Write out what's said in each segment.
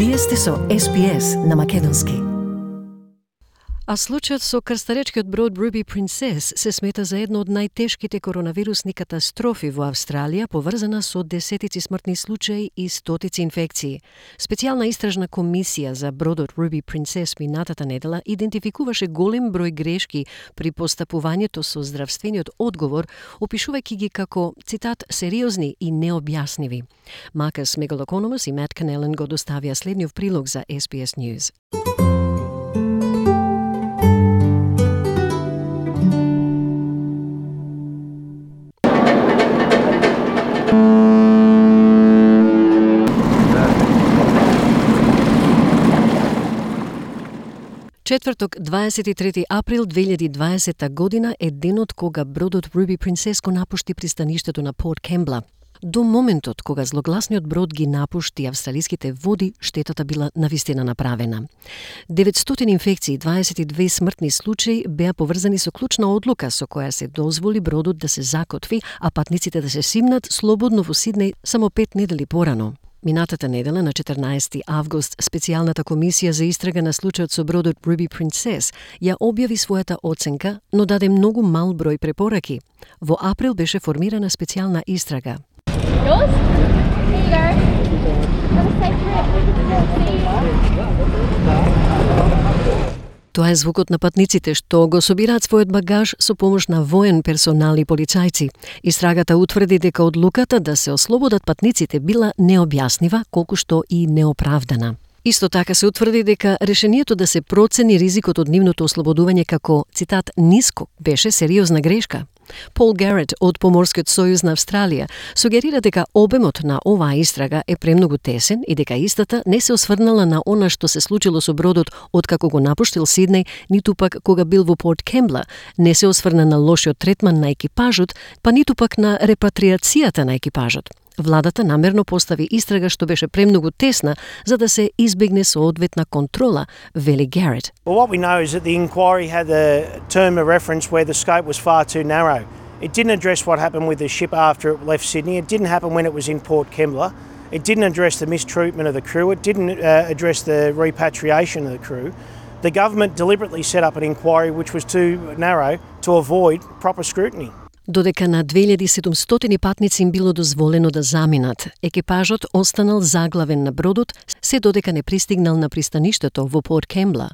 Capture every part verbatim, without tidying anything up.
Вие сте со Ес Би Ес на македонски. А случајот со крстаречкиот брод Ruby Princess се смета за едно од најтешките коронавирусни катастрофи во Австралија, поврзана со десетици смртни случаи и стотици инфекции. Специјална истражна комисија за бродот Ruby Princess минатата недела идентификуваше голем број грешки при постапувањето со здравствениот одговор, опишувајќи ги како, цитат, сериозни и необјасневи. Маркус Мегалокономос и Мат Канелен го доставија следниот прилог за Ес Би Ес News. Четврток, дваесет и трети април две илјади и дваесета година е денот кога бродот Ruby Princess го напушти пристаништето на Порт Кембла. До моментот кога злогласниот брод ги напушти австралиските води, штетата била навистина направена. деветстотини инфекции и дваесет и две смртни случаи беа поврзани со клучна одлука со која се дозволи бродот да се закотви, а патниците да се симнат слободно во Сиднеј само пет недели порано. Минатата недела, на четрнаесети август, специјалната комисија за истрага на случајот со бродот Ruby Princess ја објави својата оценка, но даде многу мал број препораки. Во април беше формирана специјална истрага. Yours? Here you go. Have a safe trip. Тоа е звукот на патниците што го собираат својот багаж со помош на воен персонал и полицајци. Истрагата утврди дека одлуката да се ослободат патниците била необјаснива, колку што и неоправдана. Исто така се утврди дека решението да се процени ризикот од нивното ослободување како, цитат, ниско, беше сериозна грешка. Пол Гарет од Поморскиот сојуз на Австралија сугерира дека обемот на оваа истрага е премногу тесен и дека истата не се осврнала на она што се случило со бродот откако го напуштил Сиднеј, ниту пак кога бил во Порт Кембла, не се осврна на лошиот третман на екипажот, па ниту пак на репатриацијата на екипажот. Владата намерно постави истрага што беше премногу тесна за да се избегне соодветна контрола, вели Гарет. Well, what we know is that the inquiry had a term of reference where the scope was far too narrow. It didn't address what happened with the ship after it left Sydney. It didn't happen when it was in Port Kembla. It didn't address the mistreatment of the crew. It didn't uh, address the repatriation of the crew. The government deliberately set up an inquiry which was too narrow to avoid proper scrutiny. Додека на две илјади и седумстотини патници им било дозволено да заминат, екипажот останал заглавен на бродот, се додека не пристигнал на пристаништето во Порт Кембла.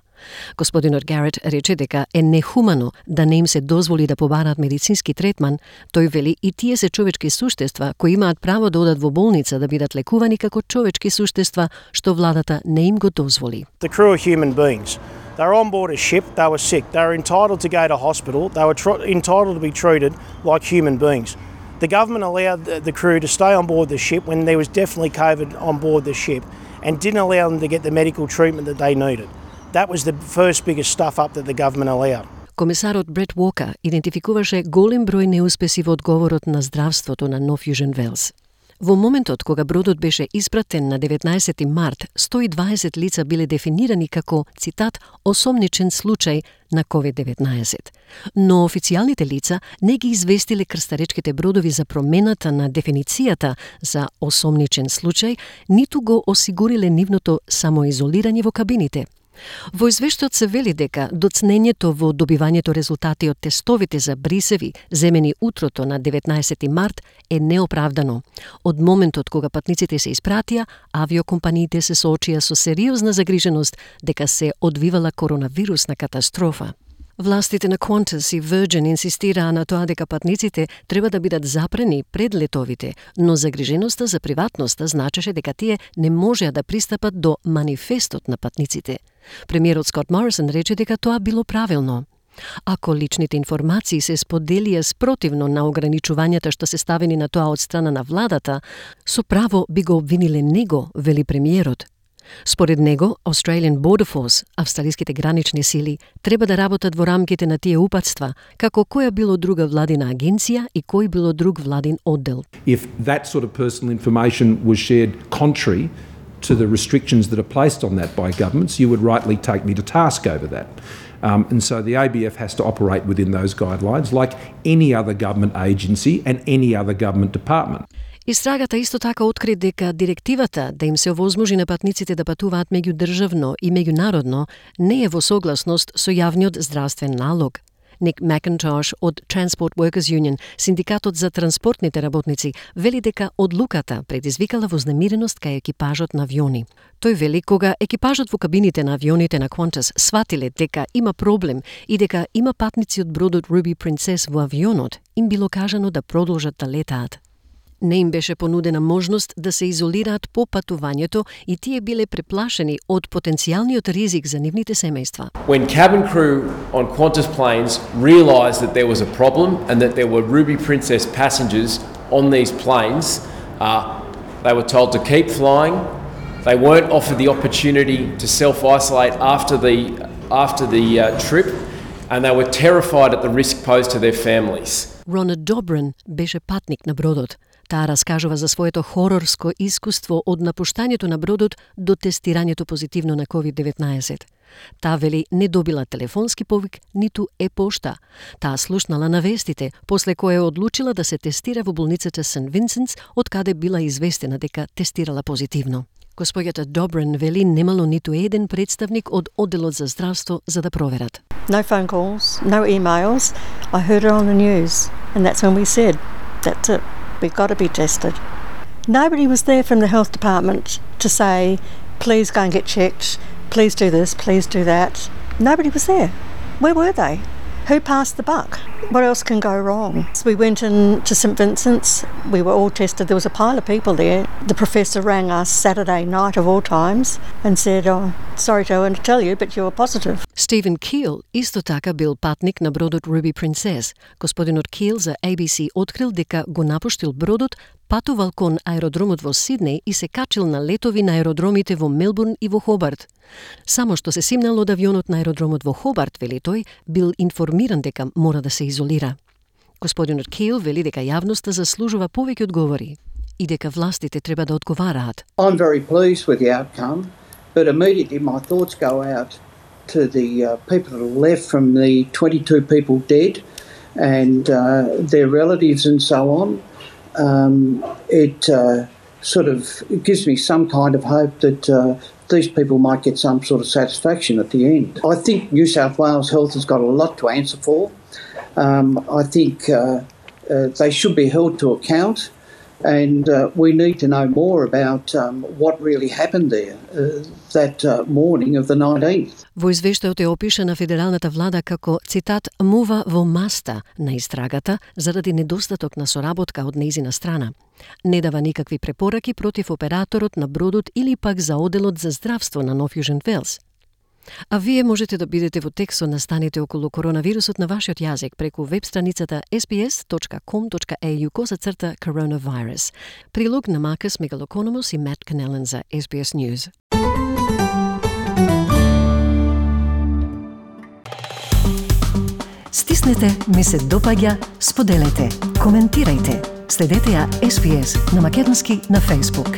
Господинот Гарет рече дека е нехумано да не им се дозволи да побараат медицински третман. Тој вели и тие се човечки суштества кои имаат право да одат во болница да бидат лекувани како човечки суштества, што владата не им го дозволи. The crew are human beings. They were on board a ship, they were sick, they were entitled to go to hospital, they were tr- entitled to be treated like human beings. The government allowed the, the crew to stay on board the ship when there was definitely COVID on board the ship and didn't allow them to get the medical treatment that they needed. That was the first biggest stuff up that the government allowed. Комисарот Брет Уокер идентификуваше голем број неуспеси во одговорот на здравството на Нов Јужен Велс. Во моментот кога бродот беше испратен на деветнаесети март, сто и дваесет лица биле дефинирани како, цитат, осомничен случај на ковид деветнаесет. Но официјалните лица не ги известиле крстаречките бродови за промената на дефиницијата за осомничен случај, ниту го осигуриле нивното самоизолирање во кабините. Во извештајот се вели дека доцнењето во добивањето резултати од тестовите за брисеви земени утрото на деветнаесети март е неоправдано. Од моментот кога патниците се испратија, авиокомпаниите се соочија со сериозна загриженост дека се одвивала коронавирусна катастрофа. Властите на Qantas и Virgin инсистираа на тоа дека патниците треба да бидат запрени пред летовите, но загриженоста за приватноста значеше дека тие не можеа да пристапат до манифестот на патниците. Премиерот Скот Морисон рече дека тоа било правилно. Ако личните информации се споделија спротивно на ограничувањата што се ставени на тоа од страна на владата, со право би го обвиниле него, вели премиерот. Според него, Australian Border Force, австралиските гранични сили, треба да работат во рамките на тие упатства, како која било друга владина агенција и кој било друг владин оддел. If that sort of personal information was shared contrary to the restrictions that are placed on that by governments, you would rightly take me to task over that. Um, and so the A B F has to operate within those guidelines like any other government agency and any other government department. Истрагата исто така откри дека директивата да им се овозможи на патниците да патуваат меѓудржавно и меѓународно не е во согласност со јавниот здравствен налог. Ник Макинтош од Transport Workers Union, синдикатот за транспортните работници, вели дека одлуката предизвикала вознемиреност кај екипажот на авиони. Тој вели кога екипажот во кабините на авионите на Qantas сватиле дека има проблем и дека има патници од бродот Ruby Princess во авионот, им било кажано да продолжат да летаат. Не им беше понудена можност да се изолираат по патувањето и тие биле преплашени од потенцијалниот ризик за нивните семејства. When cabin crew on Qantas planes realised that there was a problem and that there were Ruby Princess passengers on these planes, uh, they were told to keep flying. They weren't offered the opportunity to self-isolate after the after the uh, trip, and they were terrified at the risk posed to their families. Ронald Добрин беше патник на бродот. Таа раскажува за своето хорорско искуство од напуштањето на бродот до тестирањето позитивно на ковид деветнаесет. Таа вели не добила телефонски повик, ниту е-пошта. Таа слушнала на вестите, после кое одлучила да се тестира во болницата Сент Винсентс, од каде била известена дека тестирала позитивно. Господјата Добрин вели немало ниту еден представник од одделот за здравство за да проверат. No phone calls, no emails. I heard it on the news, and that's when we said, that's it, we've got to be tested. Nobody was there from the health department to say, please go and get checked, please do this, please do that. Nobody was there. Where were they? Who passed the buck? What else can go wrong? So we went in to St Vincent's. We were all tested. There was a pile of people there. The professor rang us Saturday night of all times and said, oh, sorry to tell you, but you were positive. Стивен Кил исто така бил патник на бродот Ruby Princess. Господинот Кил за A B C открил дека го напуштил бродот, патувал кон аеродромот во Сиднеј и се качил на летови на аеродромите во Мелбурн и во Хобарт. Само што се симнал од авионот на аеродромот во Хобарт, вели тој, бил информиран дека мора да се изолира. Господинот Кил вели дека јавноста заслужува повеќе одговори и дека властите треба да одговараат. I'm very pleased with the outcome, but immediately my thoughts go out to the uh, people that are left from the twenty-two people dead and uh, their relatives and so on. Um, it uh, sort of it gives me some kind of hope that uh, these people might get some sort of satisfaction at the end. I think New South Wales Health has got a lot to answer for. Um, I think uh, uh, they should be held to account, and uh, we need to know more about um, what really happened there uh, that uh, morning of the nineteenth. Во извештајот е опишана федералната влада како, цитат, мува во маста на истрагата заради недостаток на соработка од нејзина страна. Не дава никакви препораки против операторот на бродот или пак за одделот за здравство на Нов Јужен Велс. А вие можете да бидете во текст со настаните околу коронавирусот на вашиот јазик преку веб страницата ес би ес точка ком точка ей ю косацрта coronavirus. Прилог на Маркус Мегалокономос и Мат Канелен за Ес Би Ес News. Стиснете, ми се допаѓа, споделете, коментирајте. Следете ја Ес Би Ес на македонски на Facebook.